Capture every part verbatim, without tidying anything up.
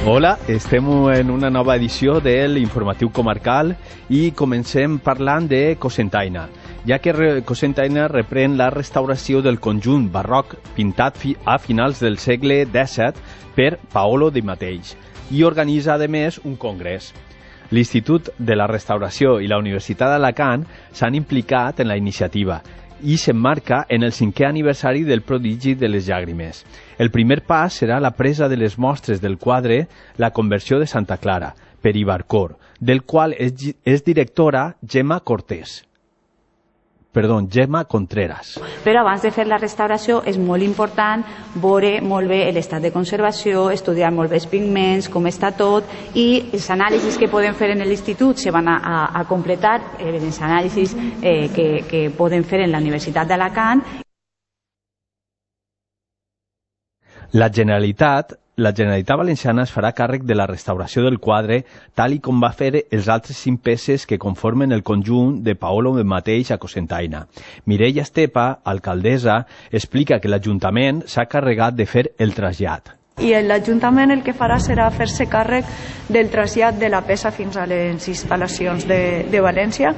Hola, estem en una nova edició de l'Informatiu Comarcal i comencem parlant de Cocentaina, ja que Cocentaina reprèn la restauració del conjunt barroc pintat a finals del segle dèsset per Paolo Di Mateix i organitza, a més, un congrés. L'Institut de la Restauració i la Universitat d'Alacant s'han implicat en la iniciativa i s'emmarca en el cinquè aniversari del prodigi de les llàgrimes. El primer pas serà la presa de les mostres del quadre La conversió de Santa Clara, per Ibarcor, del qual és, és directora Gemma Cortés. Perdó, Gemma Contreras. Però abans de fer la restauració és molt important veure molt bé l'estat de conservació, estudiar molt bé els pigments, com està tot, i els anàlisis que podem fer en l'institut se van a, a, a completar, eh, els anàlisis eh, que, que podem fer en la Universitat d'Alacant. La Generalitat La Generalitat Valenciana es farà càrrec de la restauració del quadre, tal i com va fer els altres cinc peces que conformen el conjunt de Paolo Di Mateix a Cocentaina. Mireia Estepa, alcaldessa, explica que l'Ajuntament s'ha carregat de fer el trasllat. I l'Ajuntament el que farà serà fer-se càrrec del trasllat de la peça fins a les instal·lacions de, de València.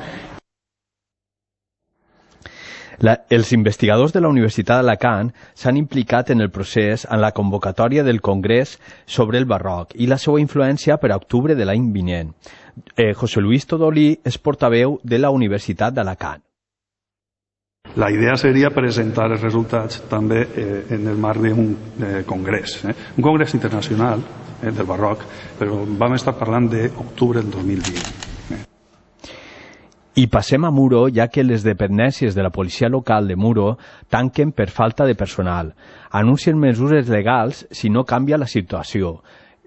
La, els investigadors de la Universitat d'Alacant s'han implicat en el procés en la convocatòria del Congrés sobre el barroc i la seva influència per a octubre de l'any vinent. Eh, José Luis Todolí és portaveu de la Universitat d'Alacant. La idea seria presentar els resultats també eh, en el marc d'un eh, congrés, eh? un congrés internacional eh, del barroc, però vam estar parlant d'octubre del dos mil vint. I passem a Muro, ja que les dependències de la policia local de Muro tanquen per falta de personal. Anuncien mesures legals si no canvia la situació.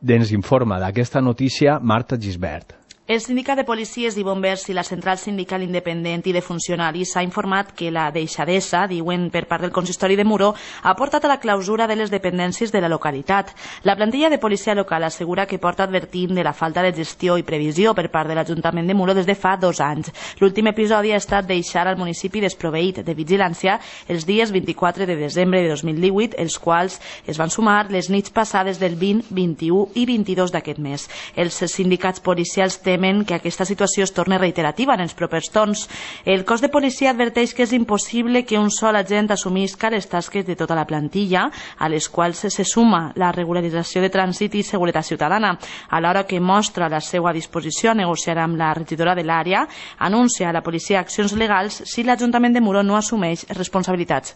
Ens informa d'aquesta notícia Marta Gisbert. El sindicat de policies i bombers i la central sindical independent i de funcionaris s'ha informat que la deixadesa, diuen per part del consistori de Muro, ha portat a la clausura de les dependències de la localitat. La plantilla de policia local assegura que porta advertint de la falta de gestió i previsió per part de l'Ajuntament de Muro des de fa dos anys. L'últim episodi ha estat deixar al municipi desproveït de vigilància els dies vint-i-quatre de desembre de dos mil divuit, els quals es van sumar les nits passades del vint, vint-i-u i vint-i-dos d'aquest mes. Els sindicats policials temen que aquesta situació es torni reiterativa en els propers torns. El cos de policia adverteix que és impossible que un sol agent assumisca les tasques de tota la plantilla, a les quals se suma la regularització de trànsit i seguretat ciutadana. A l'hora que mostra la seva disposició a negociar amb la regidora de l'àrea, anuncia a la policia accions legals si l'Ajuntament de Muro no assumeix responsabilitats.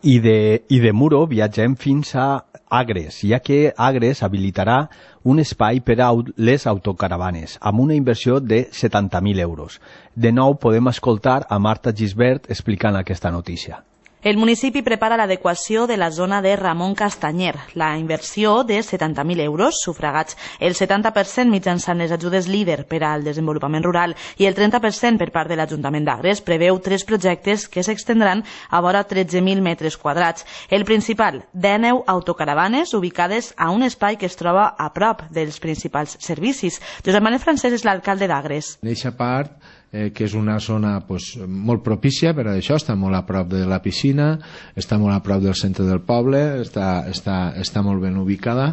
I de, I de Muro viatgem fins a Agres, ja que Agres habilitarà un espai per a les autocaravanes, amb una inversió de setanta mil euros. De nou podem escoltar a Marta Gisbert explicant aquesta notícia. El municipi prepara l'adequació de la zona de Ramon Castanyer. La inversió de setanta mil euros, sufragats el setanta per cent mitjançant les ajudes líder per al desenvolupament rural i el trenta per cent per part de l'Ajuntament d'Agres, preveu tres projectes que s'extendran a vora tretze mil metres quadrats. El principal, dinou autocaravanes ubicades a un espai que es troba a prop dels principals servicis. Josep Manuel Francesc és l'alcalde d'Agres. En aquesta part, eh, que és una zona pues, molt propícia per a això, està molt a prop de la piscina, està molt a prop del centre del poble, està, està, està molt ben ubicada.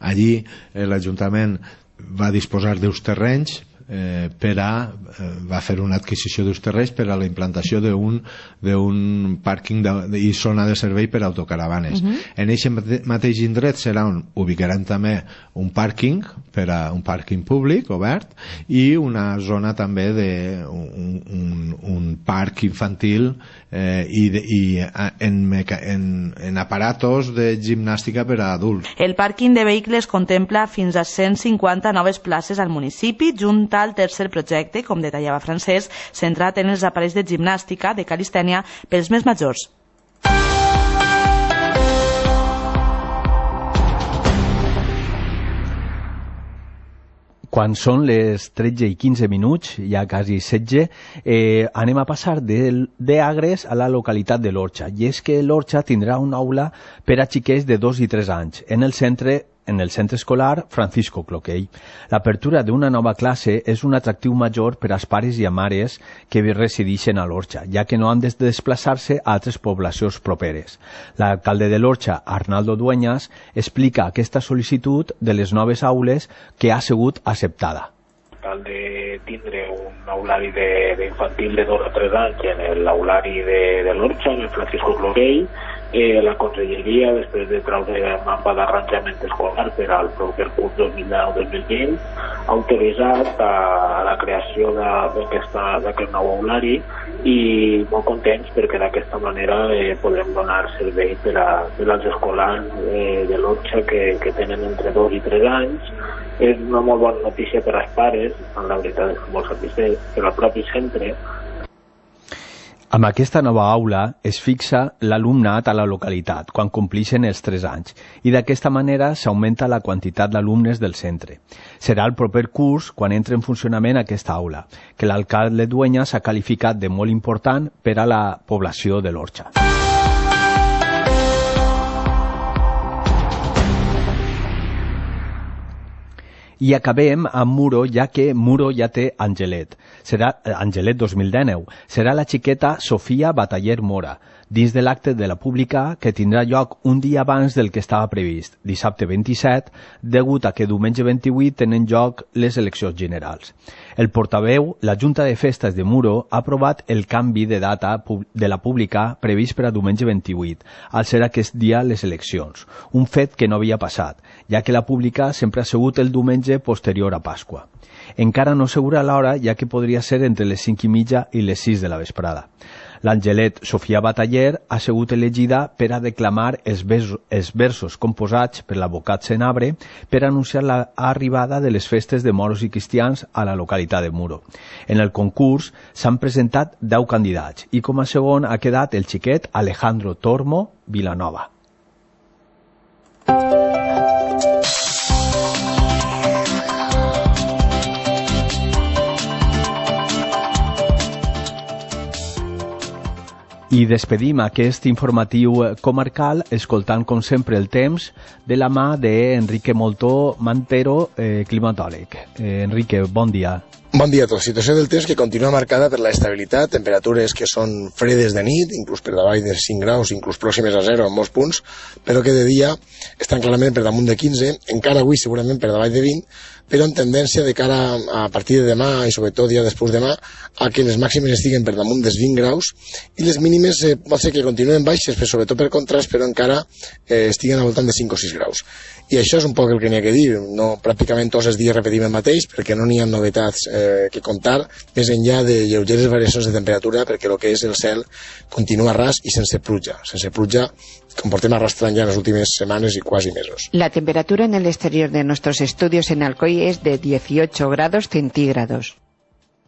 Allí eh, l'Ajuntament va disposar d'uns terrenys eh, per a, eh, va fer una adquisició d'uns terrenys per a la implantació d'un d'un pàrquing de, de, i zona de servei per a autocaravanes. Uh-huh. En aquest mateix indret serà on ubicarem també un pàrquing per a un pàrquing públic obert i una zona també de un, un, un parc infantil eh, i, de, i en, meca, en, en aparatos de gimnàstica per a adults. El pàrquing de vehicles contempla fins a cent cinquanta noves places al municipi, junt al tercer projecte, com detallava Francesc, centrat en els aparells de gimnàstica de calistènia pels més majors. Quan són les tretze i quinze minuts, ja quasi setze, eh, anem a passar d'Agres a la localitat de l'Orxa. I és que l'Orxa tindrà una aula per a xiquets de dos i tres anys en el centre en el centre escolar Francisco Cloquell. L'apertura d'una nova classe és un atractiu major per als pares i a mares que resideixen a l'Orxa, ja que no han de desplaçar-se a altres poblacions properes. L'alcalde de l'Orxa, Arnaldo Dueñas, explica aquesta sol·licitud de les noves aules que ha sigut acceptada. Cal de tindre un aulari d'infantil de dos a tres anys en l'aulari de, de l'Orxa, en el Francisco Cloquell. Eh, la Conselleria, després de treure el mapa d'arranjament escolar per al proper curs dos mil deu dos mil vint, ha autoritzat a la creació d'aquest nou aulari i molt contents perquè d'aquesta manera eh, podrem donar servei per, a, per als escolars eh, de l'Orxa que, que tenen entre dos i tres anys. És una molt bona notícia per als pares, en la veritat és molt satisfet per al propi centre. Amb aquesta nova aula es fixa l'alumnat a la localitat quan complixen els tres anys i d'aquesta manera s'augmenta la quantitat d'alumnes del centre. Serà el proper curs quan entre en funcionament aquesta aula, que l'alcalde Dueñas ha qualificat de molt important per a la població de l'Orxa. I acabem amb Muro, ja que Muro ja té Angelet. Serà Angelet dos mil dinou. Serà la xiqueta Sofia Bataller Mora, dins de l'acte de la pública que tindrà lloc un dia abans del que estava previst, dissabte vint-i-set, degut a que diumenge vint-i-vuit tenen lloc les eleccions generals. El portaveu, la Junta de Festes de Muro, ha aprovat el canvi de data de la pública previst per a diumenge vint-i-vuit, al ser aquest dia les eleccions, un fet que no havia passat, ja que la pública sempre ha sigut el diumenge posterior a Pasqua. Encara no assegura l'hora, ja que podria ser entre les cinc i mitja i les sis de la vesprada. L'Angelet Sofia Bataller ha sigut elegida per a declamar els versos, els versos composats per l'advocat Senabre per anunciar l'arribada de les festes de moros i cristians a la localitat de Muro. En el concurs s'han presentat deu candidats i com a segon ha quedat el xiquet Alejandro Tormo Vilanova. I despedim aquest informatiu comarcal escoltant com sempre el temps de la mà d'Enrique Moltó Mantero, eh, climatòleg. Eh, Enrique, bon dia. Bon dia a tots. Situació del temps que continua marcada per la estabilitat, temperatures que són fredes de nit, inclús per davall de cinc graus, inclús pròximes a zero en molts punts, però que de dia estan clarament per damunt de quinze, encara avui segurament per davall de vint, però en tendència de cara a partir de demà i sobretot dia després demà a que les màximes estiguen per damunt dels vint graus i les mínimes eh, pot ser que continuen baixes, però sobretot per contrast, però encara eh, estiguen al voltant de cinc o sis graus. I això és un poc el que n'hi ha que dir. No, pràcticament tots els dies repetim el mateix perquè no n'hi ha novetats eh, que contar més enllà de lleugeres variacions de temperatura, perquè el que és el cel continua ras i sense pluja. Sense pluja com portem arrastrant ya en las últimas semanas y casi meses. La temperatura en el exterior de nuestros estudios en Alcoy es de dieciocho grados centígrados.